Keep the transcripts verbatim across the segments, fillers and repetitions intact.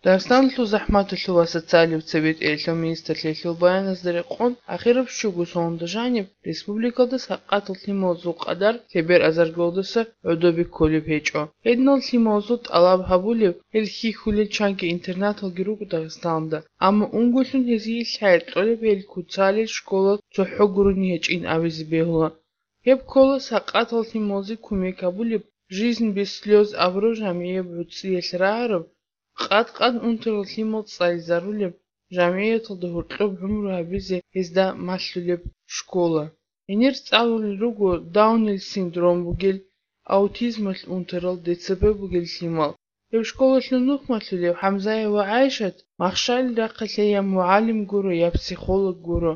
Дагъистаналъул захӀматалъул ва социалияб цебетӀеялъул министрлъиялъул баяназда рекъон, ахираб щуго соналда жаниб республикалда сакъатал лъималазул къадар лъебер азар голдаса гӀодобе кколеб гьечӀо. Гьединал лъималазул тӀалаб гьабулеб, гьел хьихьулел чанги интернаталги руго Дагъистаналда, амма унгулъун гьезие лъай кьолеб гьел куцалел школа цохӀо гурони гьечӀин абизе бегьула. Гьеб ккола сакъатал лъималазе кумек гьабулеб «Жизнь без слёз» абураб жамгӀияб гӀуцӀиялъ рагӀараб, къад-къад унтарал лъимал цӀализарулеб, жамгӀияталда гьоркьоб гӀумру гьабизе гьезда малъулеб школа. Гьенир цӀалулел руго Даунил синдром бугел, аутизмалъ унтарал, Д Ц П бугел лъимал. Гьеб школалъул нух малъулев ХӀамзаева ГӀайшат махщалил рахъалъе я мугӀалим гуро, я психолог гуро.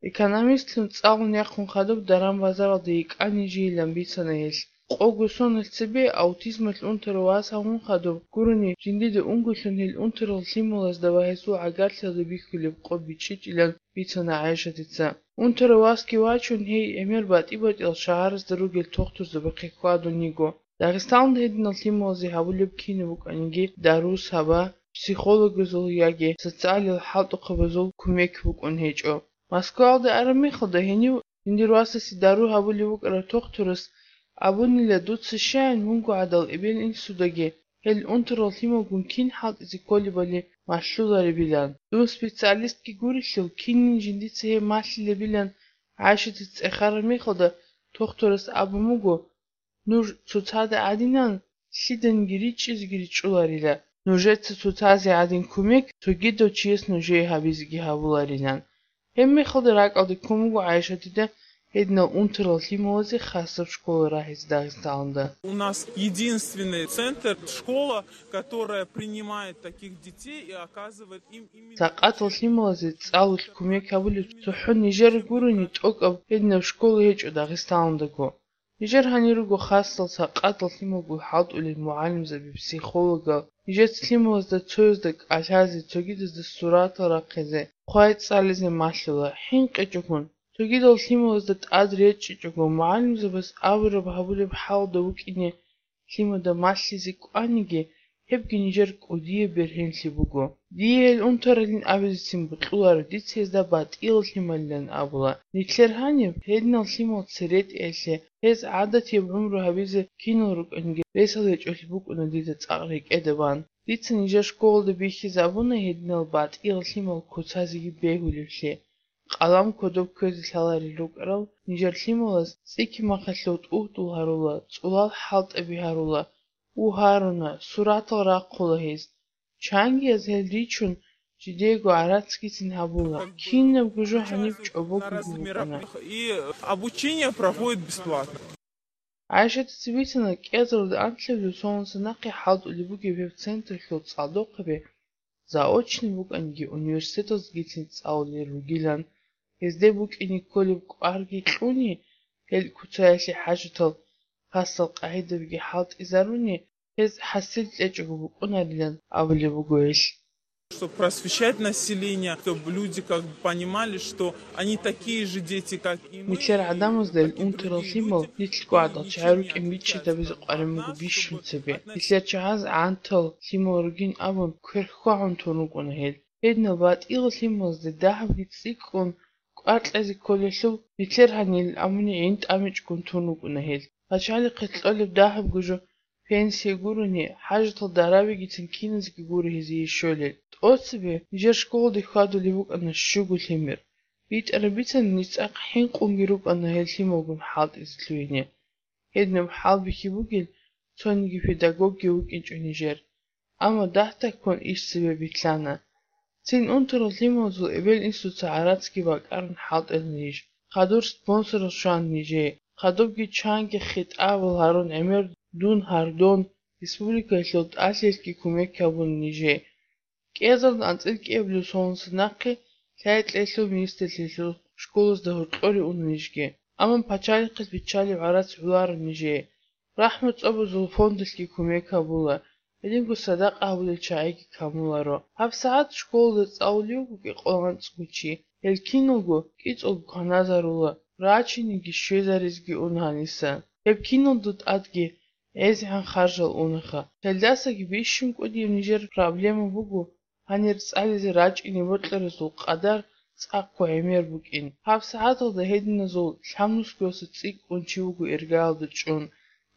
Экономистлъун цӀалун яхъун хадуб даран-базаралда йикӀанин жийилан бицана гьелъ. Къого соналъ цебе аутизмалъ унтарав вас гьавун хадуб гурони, жиндида унгулъун гьел унтарал лъималазда ва гьесул гӀагарлъиялда бихьулеб къо бичӀчӀичӀилан бицана ГӀайшатица. Унтарав васги вачун, гьей гӀемер батӀи-батӀиял шагьаразда ругел тухтурзабахъе хьвадун йиго. Дагъистаналда гьединал лъималазе гьабулеб кинаб букӀаниги дару саба, психологазул яги социалил хӀалтӀухъабазул кумек букӀун гьечӀо. Москваялда араб мехалда гьенив жиндир васасе дару гьабулев вукӀарав тухтурас абунила: «Дуца щаян вунго гӀадал эбел-инсудаги гьел унтарал лъималгун кин хӀалтӀизе кколебали малъуларебилан. Дун специалистги гурелъул, кинин жиндица гьеб малъилебилан». ГӀайшатица цӀехараб мехалда тухтурас абун буго: «Нуж цоцазда гӀадинан лъиданиги ричӀчӀизеги ричӀчӀуларила. Нужеца цоцазе гӀадин кумек цогидав чияс нужее гьабизеги гьабуларилан». Гьеб мехалда ракӀалде ккун буго ГӀайшатида гьединал унтарал лъималазе хасаб школа рагьизе Дагъистаналда. У нас единственный центр, школа, которая принимает таких детей и оказывает им именно... Сакъатал лъималазе цӀалулъ кумек гьабулеб цохӀо нижер гурони тӀокӀаб гьединаб школа гьечӀо Дагъистаналдаго. Нижер гьанир руго хасал сакъатал лъималгун хӀалтӀулел мугӀалимзаби, психологал. Нижеца лъималазда цоязда кӀалъазе, цогидазда суратал рахъизе, хъвай цӀализе малъула. ХӀинкъичӀогун, цогидал лъималазда тӀад речӀчӀичӀого, мугӀалимзабаз абураб гьабулеб хӀалда вукӀине лъимада малъизе кӀваниги, гьебги нижер кӀудияб бергьенлъи буго. Дие гьел унтаралин абизецин бокьуларо, дица гьезда батӀиял лъималилан абула. Нилъер гьаниб гьединал лъимал церетӀеялъе, гьез гӀадатияб гӀумру гьабизе кинал рукӀаниги ресал гьечӀолъи букӀуна дида цӀакъ рекӀеда бан. Дица нижер школалда бихьизабуна гьединал батӀиял лъимал куцазеги бегьулевлъи. Къалам кодоб кквезе лъаларел рукӀарал нижер лъималаз цӀикӀкӀи махалъув тӀугьдул гьарула, цӀулал хӀалтӀаби гьарула, у гьаруна, суратал рахъула гьез. Чангияз гьел ричун, жидеего гӀарацгицин гьабула. Кинабго жо гьаниб чӀобогоги букӀана. И обучение проходит бесплатно. ГӀайшатица бицана, кӀиазарулда анлъабилеб соналдаса нахъе хӀалтӀулеб бугеб гьеб централъул цӀалдохъаби заочный букӀаниги, университеталдагицин цӀалулел ругилан, гьезде букӀине кколеб кӀварги кьуни, гьел куцаялъе хӀажатал хасал къагӀидабиги хӀалтӀизаруни, гьез хӀасил кьечӀого букӀунарилан абулеб буго гьелъ. Чтоб просвещать население, чтоб люди как бы понимали, что они такие же дети, как и мы. Нилъер гӀадамазда гьел унтарал лъимал нилъго гӀадал чагӀи рукӀин бичӀчӀизабизе къварин буго бищун цебе. Нилъер чагӀаз гӀантал лъимал ругин абун кверхьвагьун тун рукӀуна гьел. Гьединал батӀиял лъималазда дагьабги цӀикӀкӀун кӀвар кьезе кколелъул, нилъер гьанил абуни гӀин тӀамичӀгун тун рукӀуна гьел. Пачалихъе кьолеб дагьабго жо пенсия гурони, хӀажатал дарабигицин киназеги гуро гьезие щолел. ТӀоцебе нижер школалде хьвадулеб букӀана щуго лъимер. БитӀараб бицана, ниж цӀакъ хӀинкъунги рукӀана гьел лъималгун хӀалтӀизе лъугьине. Гьединаб хӀалбихьи бугел цониги педагогги вукӀинчӀо нижер. Амма дагь-дагьккун иш цебе битӀана. Цин унтарал лъималазул эбел-инсуца гӀарацги бакӀарун хӀалтӀана ниж. Хадур спонсорал щвана нижее. Хадубги чанги хитӀабал гьарун гӀемер дун гьардон, республикаялъул тӀалъиялъги кумек гьабуна нижее. КӀиазарулда анцӀила кӀиабилеб соналдаса нахъе лъай-лъаялъул министрлъиялъул школазда гьоркьоре уна нижги. Амма пачалихъалъ биччалеб гӀарац гӀоларо нижее. РахӀмат цӀобозул фондалъги кумек гьабула, гьединго садакъа гьабулел чагӀиги камуларо. ГьабсагӀат школалда цӀалулев вуго кӀикъоялда анцӀго чи. Гьел киналго кӀицӀулго кваназарула, рачиниги щвезаризеги уна гьаниса. Гьеб киналда тӀадги гӀезегӀан харжал унаха. Гьелдасаги бищун кӀудияб нижер проблема буго гьанир цӀализе рачӀине бокьаразул къадар цӀакъго гӀемер букӀин. ГьабсагӀаталда гьединазул лъабнусгояса цӀикӀкӀун чи вуго иргаялда чӀун.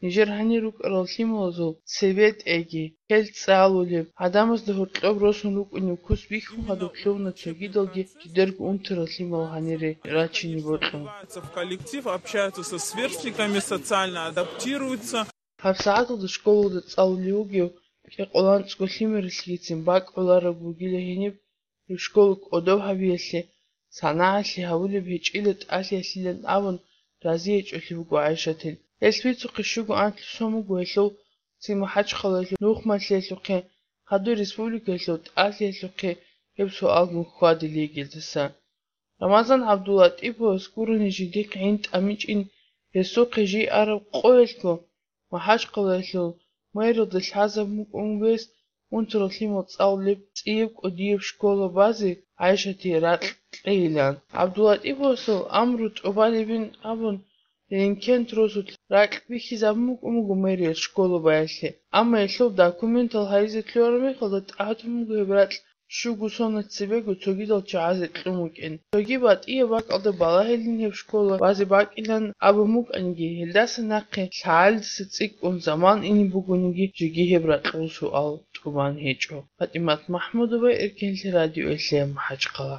Нижер гьанир рукӀарал лъималазул цебетӀеги, гьел цӀалулеб, гӀадамазда гьоркьоб росун рукӀунеб кус бихьун гьадуб лъугьуна цогидалги жидерго унтарал лъимал гьанире рачине бокьун. В коллектив, общаются со сверстниками, социально адаптируются. ГьабсагӀаталда школалда цӀалулев вугев кӀикъоялда анцӀго лъимералъгицин бакӀ гӀолареб бугила гьениб, гьеб школа кӀодоб гьабиялъе, санагӀалъи гьабулеб гьечӀила тӀалъиялъилан абун рази гьечӀолъи буго ГӀайшатил. Гьелъ бицухъе щуго анлъго сон буго гьелъул цин МахӀачхъалаялъул нухмалъиялъухъе, хадур республикаялъул тӀалъиялъухъе гьеб суалгун хьвадил йигелдаса. Рамазан ГӀабдуллатӀиповас гурони жиндихъ гӀин тӀамичӀин гьесухъе жий араб къоялъго, МахӀачхъалаялъул мэрилда лъазабун букӀун вес унтарал лъимал цӀалулеб цӀияб кӀудияб школа базе ГӀайшатие ракь кьейилан. ГӀабдуллатӀиповасул амру тӀубалебин абун, Ленингент росулъ ракь бихьизабун букӀун буго мэриял школа баялъе, амма гьелъул документал гьаризе кколеб мехалда тӀадабун буго гьеб ракь щуго соналъ цебего цогидал чагӀазе кьун букӀин. Цоги батӀияб бакӀалда балагьилин гьеб школа базе бакӀилан абун букӀаниги, гьелдаса нахъе лъагӀалидаса цӀикӀкӀун заман ине бугониги, жеги гьеб ракьул суал тӀубан гьечӀо. ПатӀимат МахӀмудова, Эркенлъи радиоялъе, МахӀачхъала.